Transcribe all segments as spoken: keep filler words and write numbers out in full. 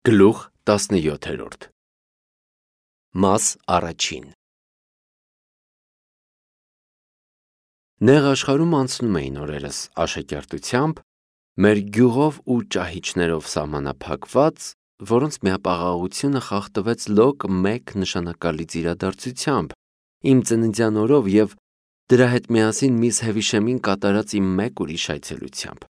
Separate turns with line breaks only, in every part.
Գլուխ տասնյոթերորդ Մաս առաջին Նեղ աշխարհում անցնում էին օրերս աշակերտությամբ, մեր գյուղով ու ճահիճներով սահմանափակված, որոնց միապաղաղությունը խախտվեց լոկ մեկ նշանակալից իրադարձությամբ, իմ ծննդյան օրով և դրա հետ միասին միս Հևիշեմին կատարած իմ մեկ ուրիշ այցելությամբ։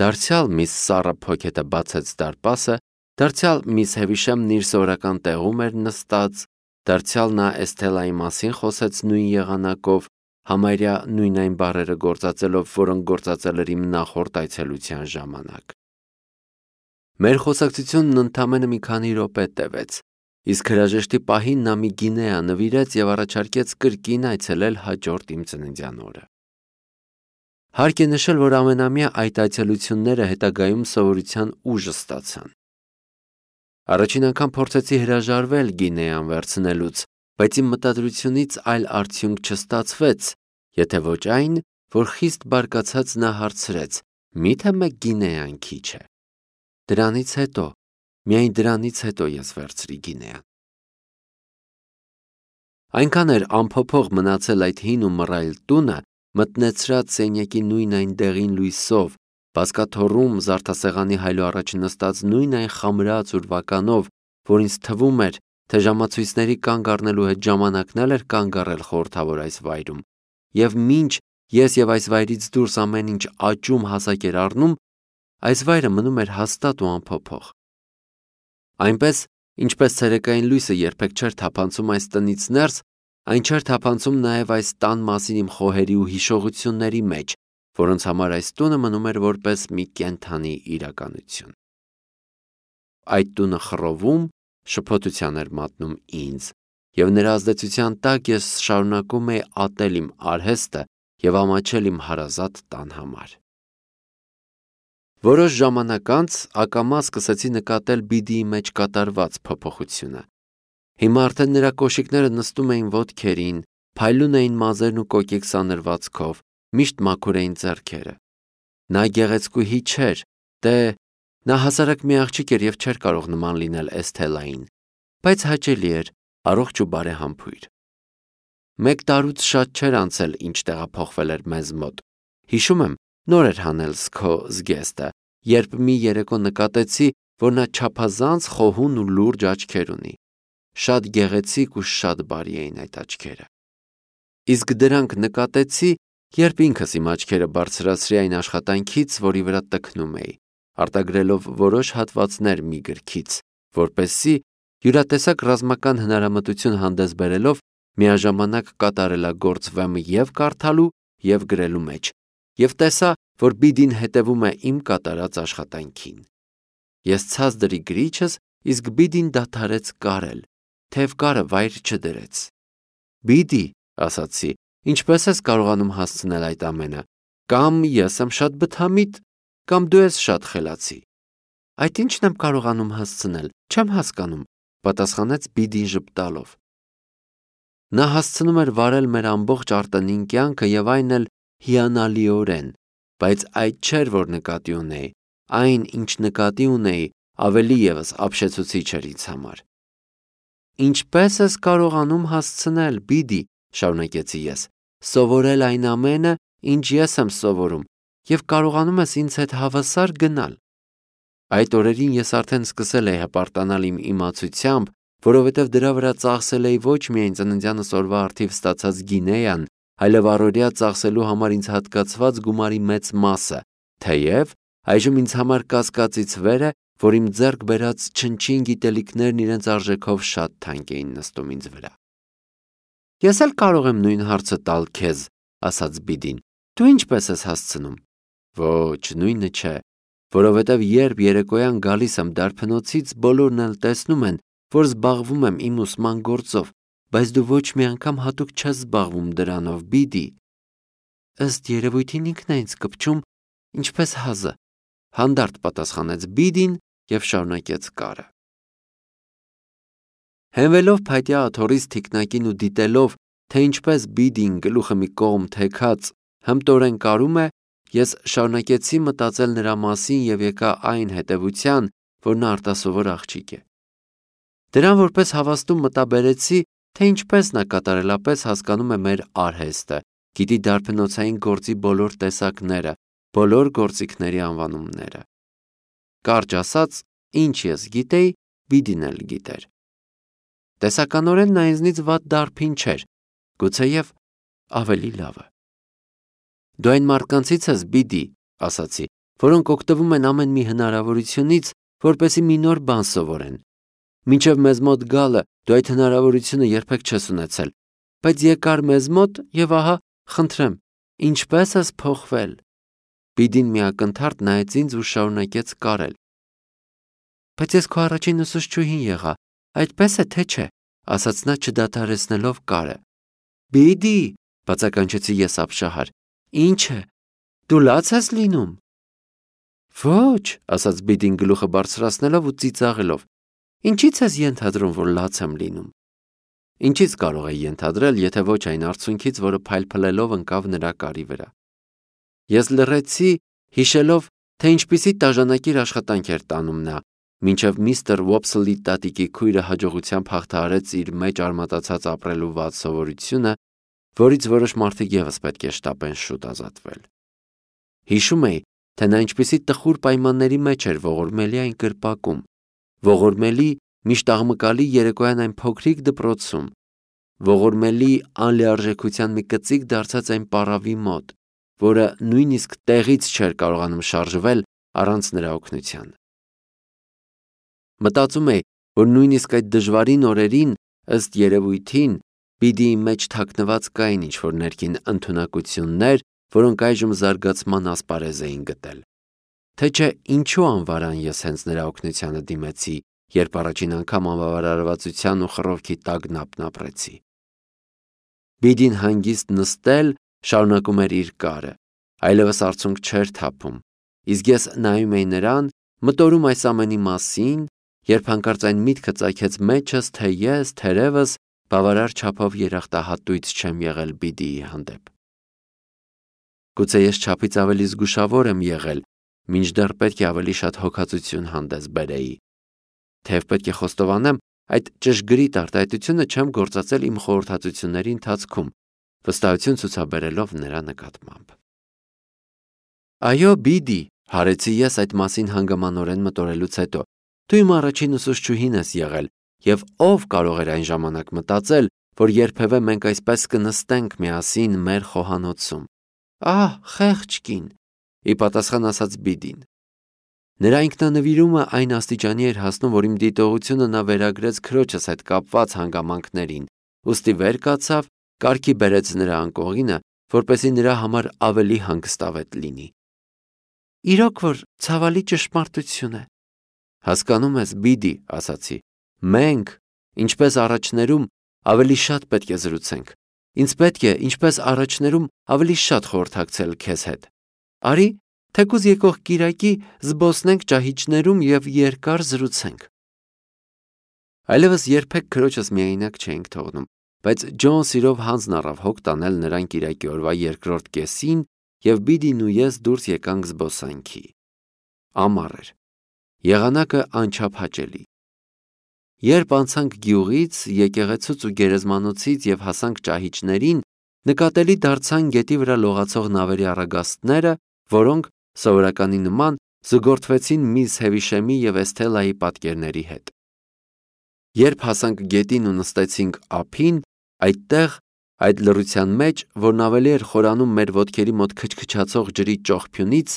Դարձյալ միս Սառա Փոքետը բացեց դարպասը, դարձյալ միս Հևիշեմն իր սովորական տեղում էր նստած, դարձյալ նա Էսթելայի մասին խոսեց նույն եղանակով, համարյա նույն այն բառերը գործածելով, որոնք գործածել էր իմ նախորդ այցելության ժամանակ։ Մեր խոսակցությունն ընդամենը մի քանի րոպե տևեց, իսկ հրաժեշտի պահին նա մի գինեա նվիրեց և առաջարկեց կրկին այցելել հաջորդ իմ ծննդյան օրը։ Հարկ է նշել, որ ամենամյա այդ այցելությունները հետագայում սովորության ուժ ստացան։ Առաջին անգամ փորձեցի հրաժարվել գինեան վերցնելուց, բայց իմ մտադրությունից այլ արդյունք չստացվեց, եթե ոչ այն, որ խիստ բարկացած նա հարցրեց. «Միթե մեկ գինեան քիչ է»։ Դրանից հետո, միայն դրանից հետո ես վերցրի գինեան։ Այնքան էր անփոփոխ մնացել այդ հին ու մռայլ տունը, մտնեցրած սենյակի նույն այն դեղին լույսով, բազկաթոռում զարդասեղանի հայլու առաջ նստած նույն այն խամրած ուրվականով, որ ինձ թվում էր, թե ժամացույցների կանգ առնելու հետ ժամանակն էլ էր կանգ առել խորհրդավոր այս վայրում, և մինչ ես և այս վայրից դուրս ամեն ինչ աճում հասակ էր առնում, այս վայրը մնում էր հաստատ ու անփոփոխ։ Այնպես, ինչպես ցերեկային լույսը երբեք չէր թափանցում այս տնից ներս, այն չէր թափանցում նաև այս տան մասին իմ խոհերի ու հիշողությունների մեջ, որոնց համար այս տունը մնում էր որպես մի կենդանի իրականություն։ Այդ տունը խռովում, շփոթության էր մատնում ինձ, և նրա ազդեցության տակ ես շարունակում էի ատել իմ արհեստը և ամաչել իմ հարազատ տան համար։ Որոշ ժամանակ անց ակամա սկսեցի նկատել Բիդիի մեջ կատարված փոփոխությունը։ Հիմա արդեն նրա կոշիկները նստում էին ոտքերին, փայլուն էին մազերն ու կոկիկ սանրվածքով, միշտ մաքուր էին ձեռքերը։ Նա գեղեցկուհի չէր, դե, նա հասարակ մի աղջիկ էր և չէր կարող նման լինել Էսթելային, բայց հաճելի էր, առողջ ու բարեհամբույր։ Մեկ տարուց շատ չէր անցել, ինչ տեղափոխվել էր մեզ մոտ։ Հիշում եմ, նոր էր հանել Սքո զգեստը, երբ մի երեկո նկատեցի, որ նա չափազանց խոհուն ու լուրջ աչքեր ունի։ Շատ գեղեցիկ ու շատ բարի էին այդ աչքերը։ Իսկ դրանք նկատեցի, երբ ինքս իմ աչքերը բարձրացրի այն աշխատանքից, որի վրա տքնում էի, արտագրելով որոշ հատվածներ մի գրքից, որպեսզի յուրատեսակ ռազմական հնարամտություն հանդես բերելով միաժամանակ կատարելագործվեմ և կարդալու, և գրելու մեջ, և տեսա, որ Բիդին հետևում է իմ կատարած աշխատանքին։ Ես ցած դրի գրիչս, իսկ Բիդին դադարեց կարել, թև կարը վայր չդրեց։ «Բիդի», ասացի, «ինչպես ես կարողանում հասցնել այդ ամենը, կամ ես եմ շատ բթամիտ, կամ դու ես շատ խելացի»։ «Այդ ի՞նչն եմ կարողանում հասցնել, չեմ հասկանում», պատասխանեց Բիդին ժպտալով։ Նա հասցնում էր վարել մեր ամբողջ արտընին կյանքը և այն էլ հիանալիորեն, բայց այդ չէր, որ նկատի ունեի, այն, ինչ նկատի ունեի, ավելի ևս ապշեցուցիչ էր ինձ համար։ «Ինչպե՞ս ես կարողանում հասցնել, Բիդի», շարունակեցի ես, «սովորել այն ամենը, ինչ ես եմ սովորում, և կարողանում ես ինձ հետ հավասար գնալ»։ Այդ օրերին ես արդեն սկսել էի հպարտանալ իմ իմացությամբ, որովհետև դրա վրա ծախսել էի ոչ միայն ծննդյանս օրվա առթիվ ստացած գինեան, այլև առօրյա ծախսելու համար ինձ հատկացված գումարի մեծ մասը, թեև այժմ ինձ համար կասկածից վեր է, որ իմ ձեռք բերած չնչին գիտելիքներն իրենց արժեքով շատ թանկ էին նստում ինձ վրա։ «Ես էլ կարող եմ նույն հարցը տալ քեզ», ասաց Բիդին, «դու ինչպես ես հասցնում»։ «Ոչ, նույնը չէ, որովհետև երբ երեկոյան գալիս եմ դարբնոցից, բոլորն էլ տեսնում են, որ զբաղվում եմ իմ ուսման գործով, բայց դու ոչ մի անգամ հատուկ չես զբաղվում դրանով, Բիդի»։ «Ըստ երևույթին ինքն է ինձ կպչում, ինչպես հազը», հանդարտ պատասխանեց Բիդին և շարունակեց կարը։ Հենվելով փայտյա աթոռից թիկնակին ու դիտելով, թե ինչպես Բիդին գլուխը մի կողմ թեքած հմտորեն կարում է, ես շարունակեցի մտածել նրա մասին և եկա այն հետևության, որ նա արտասովոր աղջիկ է։ Դրան որպես հավաստում մտաբերեցի, թե ինչպես նա կատարելապես հասկանում է մեր արհեստը, գիտի դարբնոցային գործի բոլոր տեսակները, բոլոր գործիքների անվանումները։ Կարճ ասած, ինչ ես գիտեի, Բիդին էլ գիտեր։ Տեսականորեն նա ինձնից վատ դարբին չէր, գուցեև ավելի լավը։ Դու այն մարդկանցից ես, Բիդի, ասացի, որոնք օգտվում են ամեն մի հնարավորությունից, որպեսզի մի նոր բան սովորեն։ Մինչև մեզ մոտ գալը դու այդ հնարավորությունը երբեք չես ունեցել, բայց եկար մեզ մոտ և ահա, խնդրեմ, ինչպես ես փոխվել։ Բիդին միակնթարթ նայեց ինձ ու շարունակեց կարել։ Բայց ես քո առաջին ուսուցչուհին եղա, այդպես է թե չէ, ասաց նա չդադարեցնելով կարը։ Բիդի, բացականչեցի ես ապշահար, ինչ է, դու լաց ես լինում։ Ոչ, ասաց Բիդին գլուխը բարձրացնելով ու ծիծաղելով, ինչից ես ենթադրում, որ լաց եմ լինում։ Ինչից կարող է ենթադրել, եթե ոչ այն արցունքից, որը փայլփլելով ընկավ նրա կարի վրա։ Ես լռեցի, հիշելով, թե ինչպիսի տաժանակիր աշխատանք էր տանում նա, մինչև միստր Ուոփսլի տատիկի քույրը հաջողությամբ հաղթահարեց իր մեջ արմատացած ապրելու վատ սովորությունը, որից որոշ մարդիկ ևս պետք է շտապեն շուտ ազատվել։ Հիշում էի, թե նա ինչպիսի տխուր պայմանների մեջ էր ողորմելի այն կրպակում, ողորմելի միշտ աղմկալի երեկոյան այն փոքրիկ դպրոցում, ողորմելի անլիարժեքության մի կծիկ դարձած այն պառավի մոտ, որը նույնիսկ տեղից չէր կարողանում շարժվել առանց նրա օգնության։ Մտածում էի, որ նույնիսկ այդ դժվարին օրերին, ըստ երևույթին, Բիդիի մեջ թաքնված կային ինչ-որ ներքին ընդունակություններ, որոնք այժմ զարգացման ասպարեզ էին գտել։ Թե չէ ինչու անվարան ես հենց նրա օգնությանը դիմեցի, երբ առաջին անգամ անբավարարվածության ու խռովքի տագնապն ապրեցի։ Բիդին հանգիստ նստել շարունակում էր իր կարը, այլևս արցունք չէր թափում, իսկ ես նայում էի նրան, մտորում այս ամենի մասին, երբ հանկարծ այն միտքը ծագեց մեջս, թե ես, թերևս, բավարար չափով երախտահատույց չեմ եղել Բիդիի հանդեպ։ Գուցե ես չափից ավելի զգուշավոր եմ եղել, մինչդեռ պետք է ավելի շատ հոգածություն հանդես բերեի։ Թեև պետք է խոստովանեմ, այդ ճշգրիտ արտահայտությունը չեմ գործածել իմ խորհրդածությունների ընթացքում, վստահություն ցուցաբերելով նրա նկատմամբ։ Այո, Բիդի, հարեցի ես այդ մասին հանգամանորեն մտորելուց հետո, դու իմ առաջին ուսուցչուհին ես եղել, և ով կարող էր այն ժամանակ մտածել, որ երբևէ մենք այսպես կնստենք միասին մեր խոհանոցում։ Ահ, խեղճ կին, ի պատասխան ասաց Բիդին։ Նրա ինքնանվիրումը այն աստիճանի էր հասնում, որ իմ դիտողությունը նա վերագրեց քրոջս հետ կապված հանգամանքներին, ուստի վեր կացավ, կարգի բերեց նրա անկողինը, որպեսզի նրա համար ավելի հանգստավետ լինի։ Իրոք որ ցավալի ճշմարտություն է։ Հասկանում ես, Բիդի, ասացի, մենք, ինչպես առաջներում, ավելի շատ պետք է զրուցենք։ Ինձ պետք է, ինչպես առաջներում, ավելի շատ խորհրդակցել քեզ հետ։ Արի, թեկուզ եկող կիրակի զբոսնենք ճահիճներում և երկար զրուցենք։ Այլևս երբեք քրոջս միայնակ չէինք թողնում, բայց Ջոն սիրով հանձն առավ հոգ տանել նրան կիրակի օրվա երկրորդ կեսին, և Բիդին ու ես դուրս եկանք զբոսանքի։ Ամառ էր։ Եղանակը անչափ հաճելի։ Երբ անցանք գյուղից, եկեղեցուց ու գերեզմանոցից և հասանք ճահիճներին, նկատելի դարձան գետի վրա լողացող նավերի առագաստները, որոնք, սովորականի նման, զուգորդվեցին միզ Հևիշեմի և Էսթելայի պատկերների հետ։ Երբ հասանք գետին ու նստեցինք ափին, այդտեղ, այդ լռության մեջ, որն ավելի էր խորանում մեր ոտքերի մոտ քչքչացող ջրի ճոխփյունից,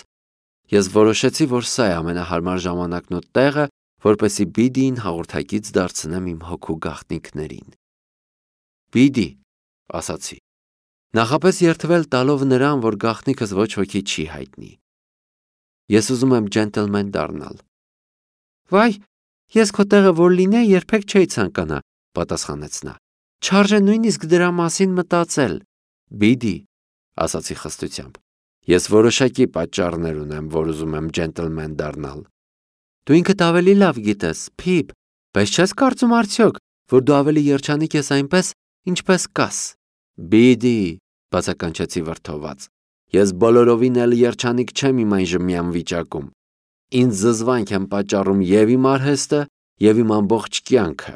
ես որոշեցի, որ սա է ամենահարմար ժամանակն ու տեղը, որպեսզի Բիդիին հաղորդակից դարձնեմ իմ հոգու գաղտնիքներին։ Բիդի, ասացի, նախապես երդվել տալով նրան, որ գաղտնիքս ոչ ոքի չի հայտնի։ Ես ուզում եմ ջենտլմեն դառնալ։ Վայ, ես քո տեղը որ լինեի, երբեք չէի ցանկանա, պատասխանեց նա։ Չարժե նույնիսկ դրա մասին մտածել։ Բիդի, ասացի խստությամբ, ես որոշակի պատճառներ ունեմ, որ ուզում եմ ջենտլմեն դառնալ։ Դու ինքդ ավելի լավ գիտես, Փիփ, բայց չես կարծում արդյոք, որ դու ավելի երջանիկ ես այնպես, ինչպես կաս։ Բիդի, բացականչեցի վրդոված, ես բոլորովին էլ երջանիկ չեմ իմ այն ժմյան վիճակում։ Ինձ զզվանք եմ պատճառում և իմ արհեստը, և իմ ամբողջ կյանքը։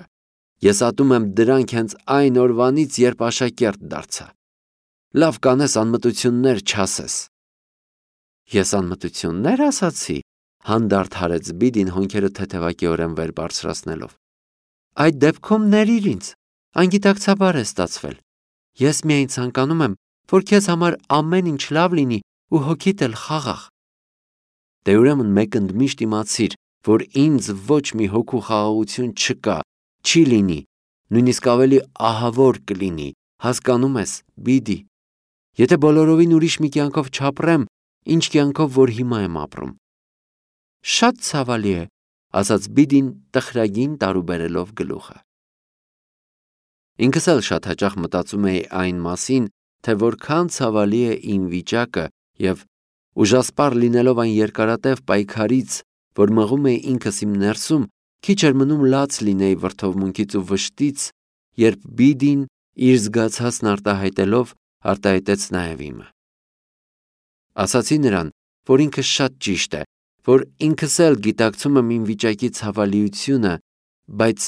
Ես ատում եմ դրանք հենց այն օրվանից, երբ աշակերտ դարձա։ Լավ կանես անմտություններ չասես։ Ես անմտություննե՞ր ասացի, հանդարտ հարեց Բիդին հոնքերը թեթևակիորեն վեր բարձրացնելով։ Այդ դեպքում ներիր ինձ, անգիտակցաբար է ստացվել։ Ես միայն ցանկանում եմ, որ քեզ համար ամեն ինչ լավ լինի ու հոգիդ էլ խաղաղ։ Դե ուրեմն մեկ ընդմիշտ իմացիր, որ ինձ ոչ մի հոգու խաղաղություն չկա, չի լինի, նույնիսկ ավելի ահավոր կլինի, հասկանում ես, Բիդի։ Եթե բոլորովին ուրիշ մի կյանքով չապրեմ, ինչ կյանքով, որ հիմա եմ ապրում։ Շատ ցավալի է, ասաց Բիդին տխրագին տարուբերելով գլուխը։ Ինքս էլ շատ հաճախ մտածում էի այն մասին, թե որքան ցավալի է իմ վիճակը և ուժասպառ լինելով այն երկարատև պայքարից, որ մղում էի ինքս իմ ներսում, քիչ էր մնում լաց լինեի վրդովմունքից ու վշտից, երբ Բիդին իր զգացածն արտահայտելով արտահայտեց նաև իմը։ Ասացի նրան, որ ինքը շատ ճիշտ է, որ ինքս էլ գիտակցում եմ իմ վիճակի ցավալիությունը, բայց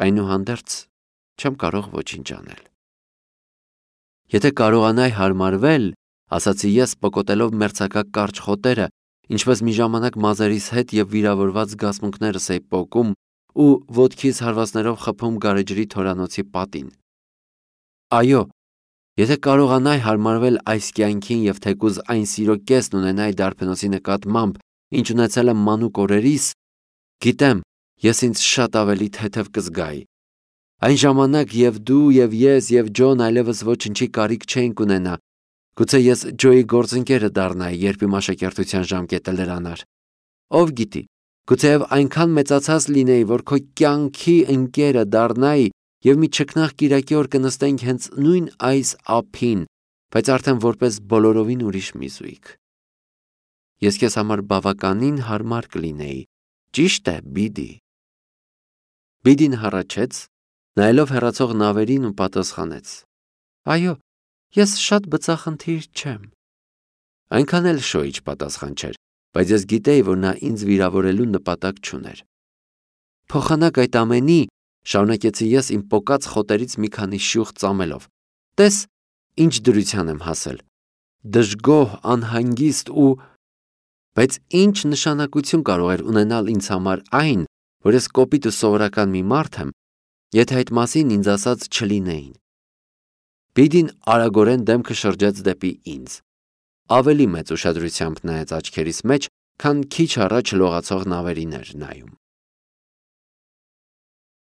այնուհանդերձ չեմ կարող ոչինչ անել։ Եթե կարողանայի հարմարվել, ասացի ես, պկոտելով մերձակա կարճ խոտերը, ինչպես մի ժամանակ մազերիս հետ և վիրավորված զգացմունքներս էի պոկում ու ոտքիս հարվածներով խփում գարեջրի թորանոցի պատին։ Այո, եթե կարողանայի հարմարվել այս կյանքին և թեկուզ այն սիրո կեսն ունենայի դարբնոցի նկատմամբ, ինչ ունեցել եմ մանուկ օրերիս, գիտեմ, ես ինձ շատ ավելի թեթև կզգայի։ Այն ժամանակ և դու, և ես, և Ջոն այլևս ոչնչի կարիք չէինք ունենա, գուցե ես Ջոյի գործընկերը դառնայի, երբ իմ աշակերտության ժամկետը լրանար։ Ով գիտի, գուցեև այնքան մեծացած լինեի, որ քո կյանքի ընկերը դառնայի և մի չքնաղ կիրակի օր կնստեինք հենց նույն այս ափին, բայց արդեն որպես բոլորովին ուրիշ մի զույգ։ Ես քեզ համար բավականին հարմար կլինեի, ճիշտ է, Բիդի։ Բիդին հառաչեց, նայելով հեռացող նավերին ու պատասխանեց. Այո, ես շատ բծախնդիր չեմ։ Այնքան էլ շոյիչ պատասխան չէր, բայց ես գիտեի, որ նա ինձ վիրավորելու նպատակ չուներ։ Փոխանակ այդ ամենի, շարունակեցի ես իմ պոկած խոտերից մի քանի շյուղ ծամելով, տես, ինչ դրության եմ հասել։ Դժգոհ, անհանգիստ ու… Բայց ինչ նշանակություն կարող էր ունենալ ինձ համար այն, որ ես կոպիտ ու սովորական մի մարդ եմ, եթե այդ մասին ինձ ասած չլինեին։ Բիդին արագորեն դեմքը շրջեց դեպի ինձ, ավելի մեծ ուշադրությամբ նայեց աչքերիս մեջ, քան քիչ առաջ լողացող նավերին էր նայում։